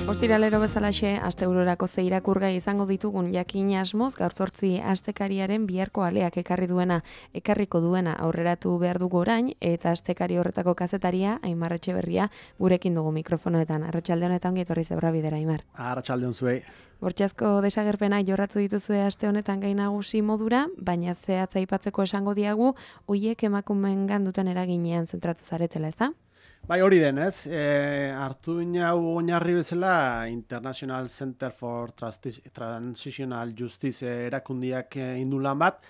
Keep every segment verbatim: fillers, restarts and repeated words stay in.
Ostiralero bezalaxe, astebururako ze irakurgai izango ditugun jakin asmoz, gaur zortzi astekariaren biharko aleak ekarri duena, ekarriko duena aurreratu behar dugu orain, eta astekari horretako kazetaria, Aimar Etxeberria, gurekin dugu mikrofonoetan. Arratsalde honetan ongi etorri zebra bidera, Aimar. Arratsalde on zuei. Bortxazko desagerpenak jorratu dituzue aste honetan gai nagusi modura, baina zehatza aipatzeko esango diagu, hoiek emakumeengan duten eraginean zentratu zaretela, ezta? Bai, hori den, ez? E, hartu hau oinarri bezala International Center for Transitional Justice erakundiak indu lan bat,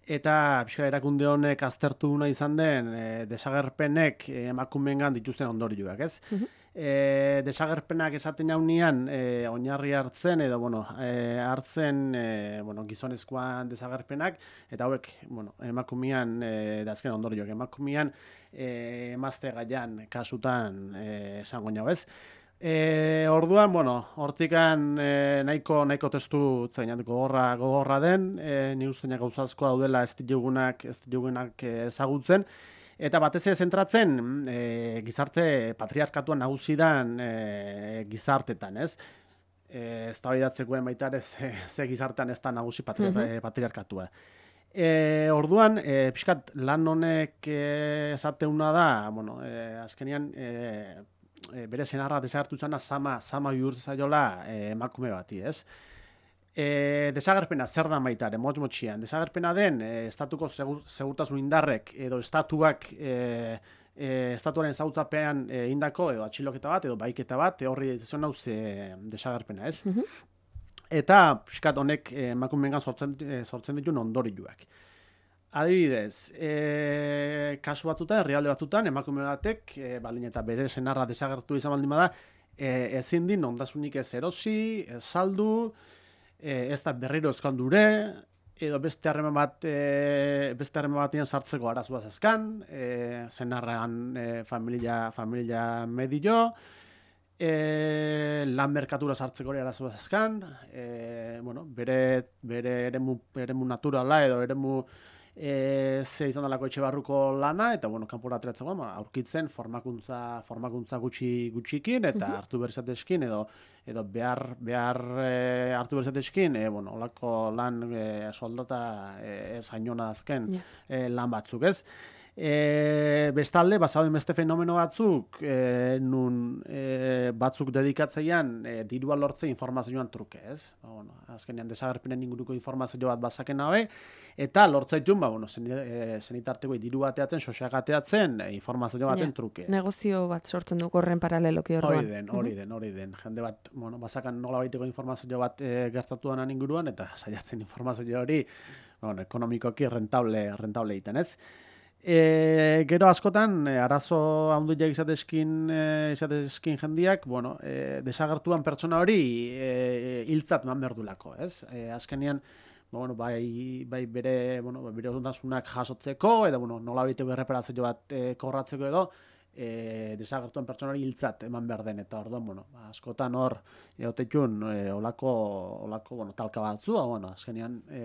eta pixka erakunde honek aztertu nahi izan den e, desagerpenek emakumeengan dituzten ondorioak, ez? Uh-huh. E, desagerpenak esaten jaunean e, oinarri hartzen edo bueno, e, hartzen e, bueno, gizonezkoan desagerpenak eta hauek bueno, emakumean e, dazken ondorioak emakumean e, emazte gaian kasutan e, esango nau, ez? E, orduan, bueno, hortikan e, nahiko, nahiko testu zainat gogorra, gogorra den, e, ni usteina gauzazkoa daudela ez ditugunak, ez ditugunak ezagutzen. Eta batez ere zentratzen e, gizarte patriarkatuan nagusidan e, gizartetan, ez? E, ez da baidatzekoen baita ere ze, ze gizartean ez da nagusi patri, mm-hmm. patriarkatua. E, orduan, e, pixkat lan honek e, esateuna da, bueno, e, azkenian e, e, bere senarra desagertu zana sama, sama bihurtzaiola e, emakume bati, ez? E, desagerpena zer da baitare, motz motxian. Desagerpena den, e, estatuko segur, segurtasun indarrek edo estatuak e, e, estatuaren zautzapean e, indako edo atxiloketa bat edo baiketa bat, e, horri zion hau ze desagerpena, ez? Mm-hmm. Eta, piskat honek e, emakumeengan sortzen, e, sortzen dituen ondorioak. Adibidez, e, kasu batzutan, herrialde batzutan, emakume batek, e, baldin eta bere senarra desagertu izan baldin bada, e, ezin din ondasunik ez erosi, ez saldu, E, ez da berriro eskandure, edo beste harreman bat, e, beste harreman batean sartzeko arazoa zazkan, e, zenarrean e, familia, familia medio, e, lan merkatura sartzeko ere arazoa zazkan, e, bueno, bere, bere eremu, eremu naturala edo eremu e, ze izan dalako etxe barruko lana, eta bueno, kanpora ateratzeko, aurkitzen formakuntza, formakuntza gutxi gutxikin, eta uh-huh. hartu berzateskin, edo edo behar, behar e, hartu berzateskin, e, bueno, olako lan e, soldata e, ez hainona azken yeah. e, lan batzuk, ez? E, bestalde, bazauden beste fenomeno batzuk, e, nun e, batzuk dedikatzeian e, dirua lortze informazioan truke, ez? Ba, bueno, azkenean desagerpenen inguruko informazio bat bazaken haue, eta lortzaitun, ba, bueno, zen, e, zenitarteko diru bateatzen, sosak ateatzen, e, informazio baten ja, truke. Negozio bat sortzen du horren paraleloki orduan. Hori den, hori den, hori den. Jende bat, bueno, bazakan nola baiteko informazio bat e, gertatu denan inguruan, eta saiatzen informazio hori, bueno, ekonomikoki rentable, rentable egiten, ez? E, gero askotan, e, arazo handuiak izatezkin, e, izatezkin jendiak, bueno, e, desagertuan pertsona hori e, hiltzat man berdulako, ez? E, azkenian, bueno, bai, bai bere, bueno, bere osotasunak jasotzeko, edo, bueno, nola baiteko erreparazio bat e, korratzeko edo, e, desagertuen pertsona hori hiltzat eman behar den, eta orduan, bueno, askotan hor, egotetxun, e, olako, olako, bueno, talka batzu, bueno, azkenean, e,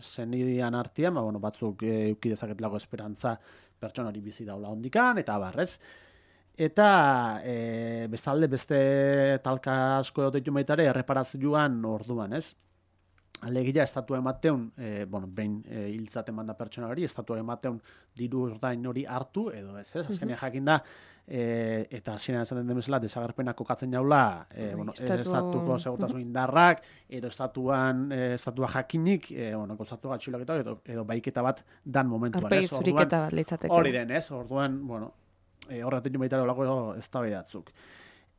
zenidian artian, ba, bueno, batzuk e, euki dezaketelako esperantza pertsona hori bizi daula hondikan, eta abarrez. Eta, e, bestalde, beste talka asko egotetxun baitare, erreparazioan orduan, ez? Alegia, estatua emateun, e, bueno, behin e, hiltzaten manda pertsona hori, estatua emateun diru ordain hori hartu, edo ez, ez? Azkenean uh-huh. jakin da, e, eta hasieran esaten den bezala, desagerpenak kokatzen jaula, e, bueno, estatu... estatuko segurtasun indarrak, edo estatuan, e, estatua jakinik, e, bueno, gozatu gatxiloketa, edo, edo baiketa bat dan momentuan, ez? Arpegi zuriketa bat litzateke. Hori den, ez? Orduan, bueno, e, horretik baita olako eztabaidatzuk.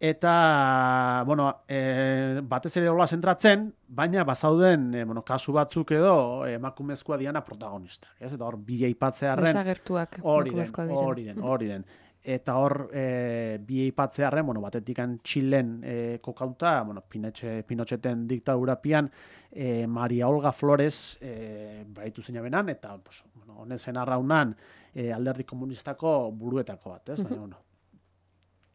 Eta, bueno, e, batez ere hola zentratzen, baina bazauden e, bueno, kasu batzuk edo emakumezkoa diana protagonistak. Ez? Eta hor, bi aipatzearren... Desagertuak hori den, hori den, hori den. Eta hor, e, bi aipatzearren, bueno, batetikan Txilen e, kokauta, bueno, Pinotxeten diktadurapian, e, Maria Olga Flores e, baitu zeina benan, eta, pues, bueno, honen zen arraunan e, alderdi komunistako buruetako bat, ez? Baina, bueno,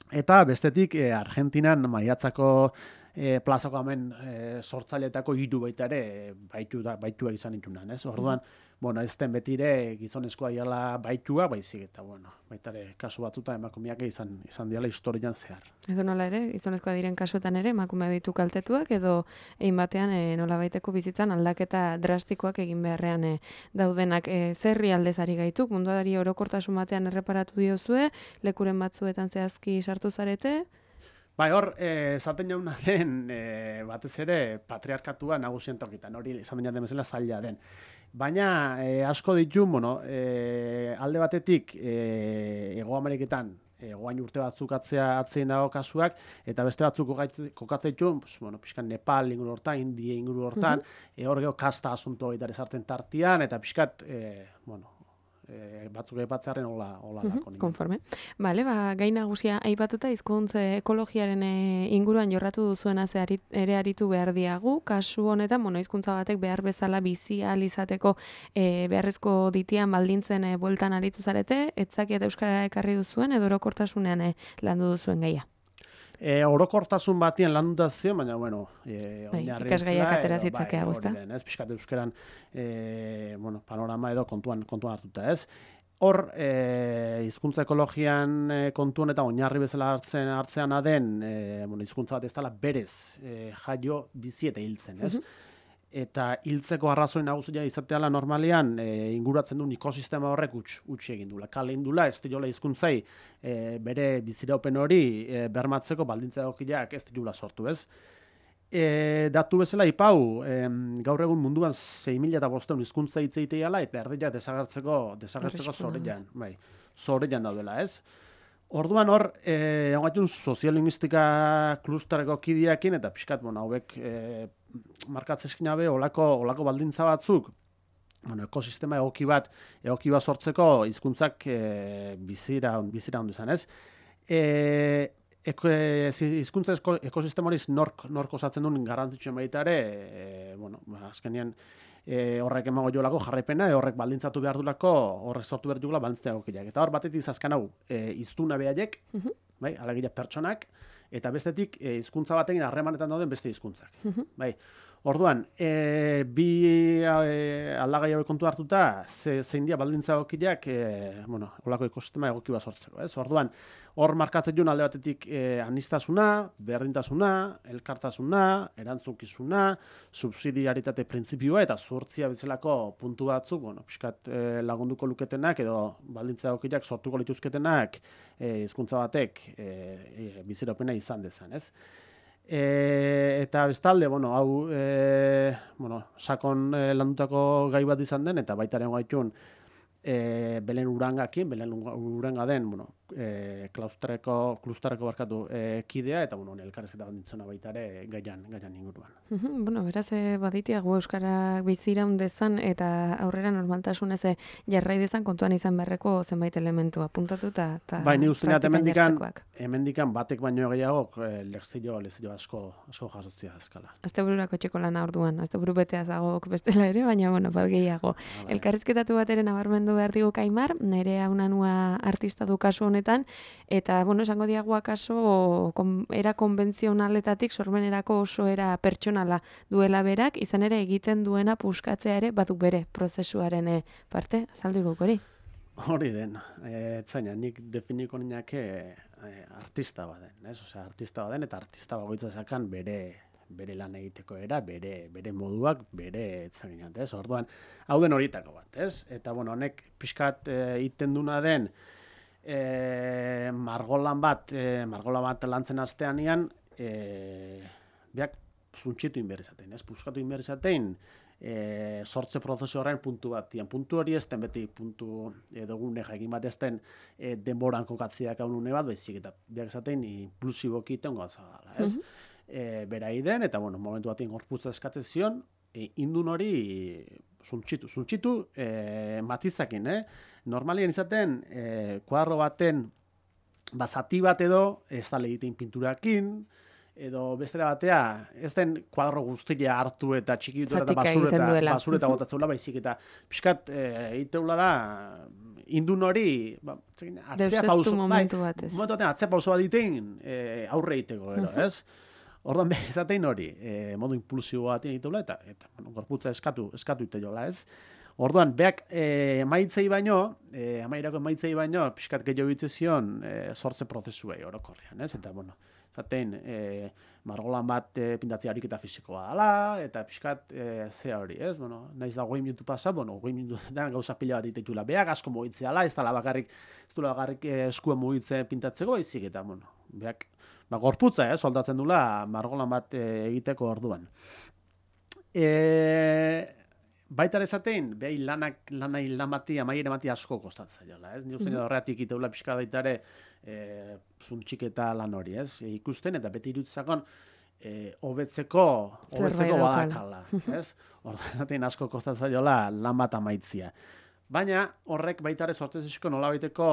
eta bestetik, e, Argentinan maiatzako e, plazako hemen e, sortzaileetako hiru baita ere baitu da, baituak izan ditunan, ez? Orduan, bueno, ez den betire gizonezkoa diala baitua, baizik eta, bueno, baita ere kasu batuta emakumeak izan izan diala historian zehar. Edo nola ere, gizonezkoa diren kasuetan ere, emakume ditu kaltetuak, edo egin batean e, nola baiteko bizitzan aldaketa drastikoak egin beharrean e, daudenak. E, zerri aldezari gaituk, munduari orokortasun batean erreparatu diozue, lekuren batzuetan zehazki sartu zarete? Bai, hor, esaten jauna den, e, batez ere, patriarkatua nagusien tokitan, hori esaten jaten bezala zaila den. Baina, e, asko ditu, bueno, e, alde batetik, e, Hego Ameriketan, egoain urte batzuk atzea atzein dago kasuak, eta beste batzuk kokatzen ditu, pues, bueno, pixkan Nepal inguru hortan, India inguru hortan, uh-huh. e, hor geho kasta asunto baita sartzen tartian, eta pixkat, e, bueno, E, batzuk aipatzearen hola hola uh -huh, konforme. Vale, ba gai nagusia aipatuta hizkuntza ekologiaren e, inguruan jorratu duzuena ze arit, ere aritu behar diagu. Kasu honetan, bueno, hizkuntza batek behar bezala bizi ahal izateko e, beharrezko ditian baldintzen e, bueltan aritu zarete, etzakiat euskarara ekarri duzuen edo orokortasunean e, landu duzuen gaia. E, orokortasun batien landuta zion, baina, bueno, e, bai, ikasgaiak atera zitzakea bai, guzta. Ez, pixkat euskeran, e, bueno, panorama edo kontuan, kontuan hartuta, ez? Hor, e, hizkuntza ekologian e, kontuan eta oinarri bezala hartzen hartzean aden, e, bueno, hizkuntza bat ez dela berez e, jaio bizi eta hiltzen, ez? Uh-huh. Eta hiltzeko arrazoi nagusia izateala normalean e, inguratzen duen ekosistema horrek utz utzi egin dula. Kale indula ez diola hizkuntzai e, bere biziraupen hori e, bermatzeko baldintza egokiak ez diola sortu, ez? E, datu bezala ipau, e, gaur egun munduan sei mila bostehun hizkuntza hitz egiteala eta erdiak desagertzeko desagertzeko zorean, bai. Zorean daudela, ez? Orduan hor, eh, ongaitun soziolinguistika klusterreko kideekin eta pixkat, bueno, hauek eh, markatzeskin abe olako, olako baldintza batzuk, bueno, ekosistema egoki bat, egoki bat sortzeko hizkuntzak eh, bizira, bizira ondu izan, ez? Eh, hizkuntza eko, ekosistema hori nork, nork osatzen duen garrantzitsuen baita ere, eh, bueno, azkenean, E, horrek emago jolako jarraipena, e, horrek baldintzatu behar dulako, horrek sortu behar dugula baldintzatu egokiak. Eta hor batetik zazkan hau, e, iztuna behaiek, uh-huh. bai, alegia pertsonak, eta bestetik e, hizkuntza batekin harremanetan dauden beste hizkuntzak. Uh-huh. Bai. Orduan, e, bi e, aldagai hauek kontu hartuta, ze, zein dia baldintza egokiak, e, bueno, holako ekosistema egoki bat sortzeko, ez? Orduan, hor markatzen duen alde batetik e, anistasuna, berdintasuna, elkartasuna, erantzukizuna, subsidiaritate printzipioa eta zuhurtzia bezalako puntu batzuk, bueno, pixkat e, lagunduko luketenak edo baldintza egokiak sortuko lituzketenak e, hizkuntza batek e, e, biziropena izan dezan, ez? E, eta bestalde, bueno, hau e, bueno, sakon e, landutako gai bat izan den, eta baitaren gaitun e, Belen Urangakin, Belen Uranga den, bueno, e, klausterreko, klusterreko barkatu e, kidea, eta bueno, elkarrezketa banditzona baita ere gaian, gaian inguruan. Bueno, beraz, e, baditiago euskarak biziraun dezan eta aurrera normaltasunez e, jarrai dezan kontuan izan beharreko zenbait elementu apuntatuta eta bai, ni uste hemendikan, hemendikan batek baino gehiago e, lexillo, lexillo asko, asko jasotzia azkala. Astebururako etxeko lana orduan, asteburu betea zagok bestela ere, baina bueno, bat gehiago. Ah, elkarrizketatu bat ere nabarmendu behar digu Kaimar, nire haunanua artista du kasu honetan, eta, bueno, esango diagu akaso kon, era konbentzionaletatik sormenerako oso era pertsonala duela berak, izan ere egiten duena puskatzea ere badu bere prozesuaren parte, azaldu guk hori? Hori den, e, etzaina, nik definiko niake e, artista baden, ez? Osea, artista baden eta artista bagoitza zakan bere bere lan egiteko era, bere bere moduak, bere etzaginat, ez? Orduan, hau den horietako bat, ez? Eta, bueno, honek pixkat egiten duna den e, margolan bat, e, margolan bat lantzen astean ean, e, biak zuntxitu inberrizaten, ez? Puskatu inberrizaten, e, sortze prozesu horren puntu bat, dian, puntu hori ez den beti puntu edogune jakin bat ez den e, denboran kokatziak hau nune bat, baizik eta biak esaten inklusiboki itengo azagala, ez? Mm-hmm. E, bera iden, eta bueno, momentu batean gorputza eskatzen zion, e, indun hori zuntxitu, zuntxitu e, matizakin, eh? Normalien izaten, e, kuadro baten bazati bat edo, ez da egiten pinturakin, edo bestera batea, ez den kuadro guztia hartu eta txiki ditu eta basureta, basureta gotatzeula, baizik eta pixkat egiteula da, indun hori, ba, atzea pauso, bai, momentu batean atzea pauso bat ditin e, aurre egiteko, gero, ez? Orduan, be, ezatein hori, e, modu impulsibo bat egiteula, eta, eta bueno, gorputza eskatu, eskatu ite jola, ez? Orduan, beak e, emaitzei baino, e, amairako emaitzei baino, pixkat gehiago bitze zion e, sortze prozesuei orokorrean, ez? Eta, bueno, zaten, e, margolan bat e, pintatzea ariketa fisikoa dela, eta pixkat e, zea hori, ez? Bueno, naiz da goi minutu pasa, bueno, goi minutuetan gauza pila bat ditutula. Beak asko mugitzea dela, ez dela bakarrik, ez dela bakarrik e, eskuen mugitzen pintatzeko, izik eta, bueno, beak, ba, gorputza, eh, soldatzen dula margolan bat e, egiteko orduan. E, Baita esatein, behi lanak, lanai lan bati, amaiere bati asko kostatzen jola, ez? Ni uste mm-hmm. horretik iteula pixka daitare e, zuntxiketa lan hori, ez? E, ikusten eta beti irutzakon e, hobetzeko, hobetzeko badakala, ez? Horda esatein asko kostatzen jola lan bat amaitzia. Baina horrek baita ere sortzen zizko nola baiteko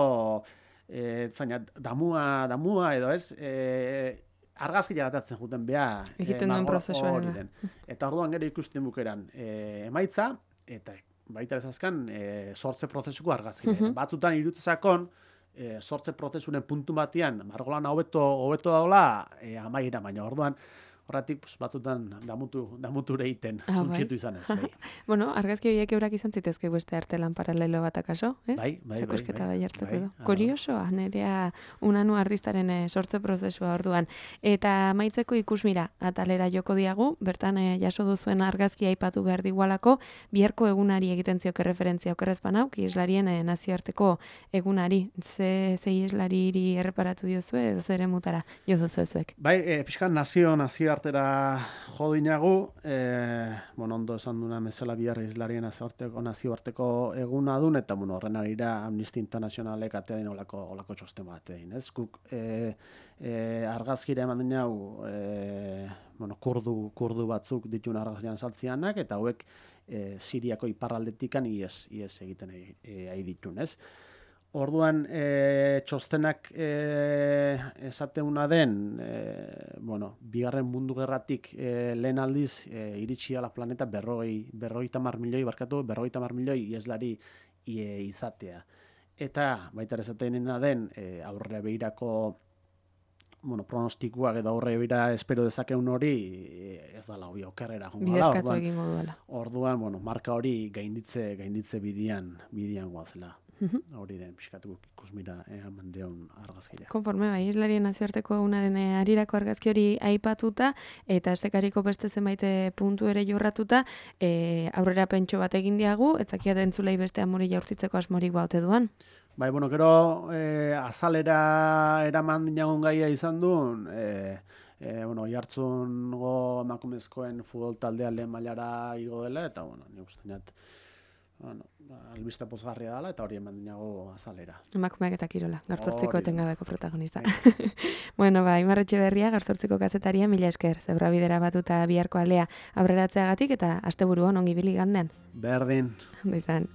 e, zaina, damua, damua edo ez, e, argazkia gatatzen juten beha egiten duen prozesua den. Eta orduan gero ikusten bukeran e, emaitza, eta baita ezazkan e, sortze prozesuko argazkia. Uh-huh. Batzutan irutzakon e, sortze prozesunen puntu batian margolan hobeto hobeto daola e, amaiera, baina orduan horretik pues, batzutan damutu, damuture egiten, ah, zuntxetu bai. Izan ez. Bai. Bueno, argazki horiek eurak izan zitezke beste artelan paralelo bat akaso, ez? Bai, bai, bai. Txakusketa bai, hartzeko bai, edo. Kuriosoa, nerea unanu artistaren e, sortze prozesua orduan. Eta maitzeko ikusmira, atalera joko diagu, bertan e, jaso duzuen argazkia aipatu behar digualako, biharko egunari egiten zioke referentzia okerrezpan hau, islarien e, nazioarteko egunari. Ze, ze islariri erreparatu diozue, edo zere mutara jo duzuezuek? Bai, e, pixkan nazio, nazio artera jodinagu, e, bueno, ondo esan duna bezala bihar islarien nazioarteko eguna dun, eta bueno, horren arira Amnistia Internazionalek atea din olako, olako txosten bat egin, ez? Guk e, e, argazkira eman dina hau, e, bueno, kurdu, kurdu batzuk ditun argazkian saltzianak, eta hauek e, Siriako iparraldetikan ies, ies egiten ari ditun, ez? Orduan, e, txostenak e, esateuna den, e, bueno, bigarren mundu gerratik e, lehen aldiz e, iritsi ala planeta berrogei, berrogei tamar milioi, barkatu, berrogei tamar milioi ieslari e, izatea. Eta, baita esateena den, e, aurrera behirako bueno, pronostikoak edo aurre bira espero dezakeun hori ez dala hobi okerrera jongo dela. Biderkatu egingo duela. Orduan, bueno, marka hori gainditze, gainditze bidian, bidian goazela. Hori den, pixkatu ikusmira eman deon argazkira. Konforme, bai, islarien nazioarteko egunaren arirako argazki hori aipatuta, eta estekariko beste zenbait puntu ere jorratuta, e, aurrera pentso bat egin diagu, etzakia dentzulei beste amori jaurtitzeko asmorik baute duan. Bai, bueno, gero e, azalera eraman dinagun gaia izan duen, e, e, bueno, jartzungo emakumezkoen futbol taldea lehen mailara igo dela, eta, bueno, nik uste dut, bueno, albiste pozgarria dela, eta hori eman dinago azalera. Emakumeak eta kirola, garzortziko etengabeko protagonista. Bueno, ba, Imar Etxeberria, garzortziko kazetaria, mila esker, zebra bidera batuta biharko alea aurreratzeagatik, eta asteburuan ongi bili gandean. Berdin. Ondo izan.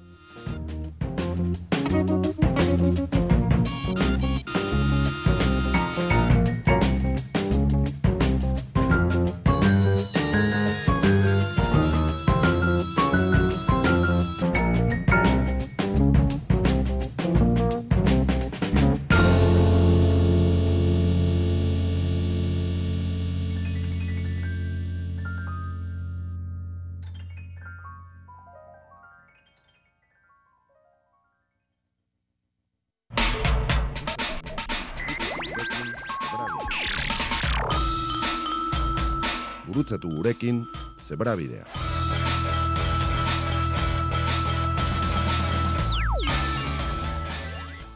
Gurutzatu gurekin Zebrabidea.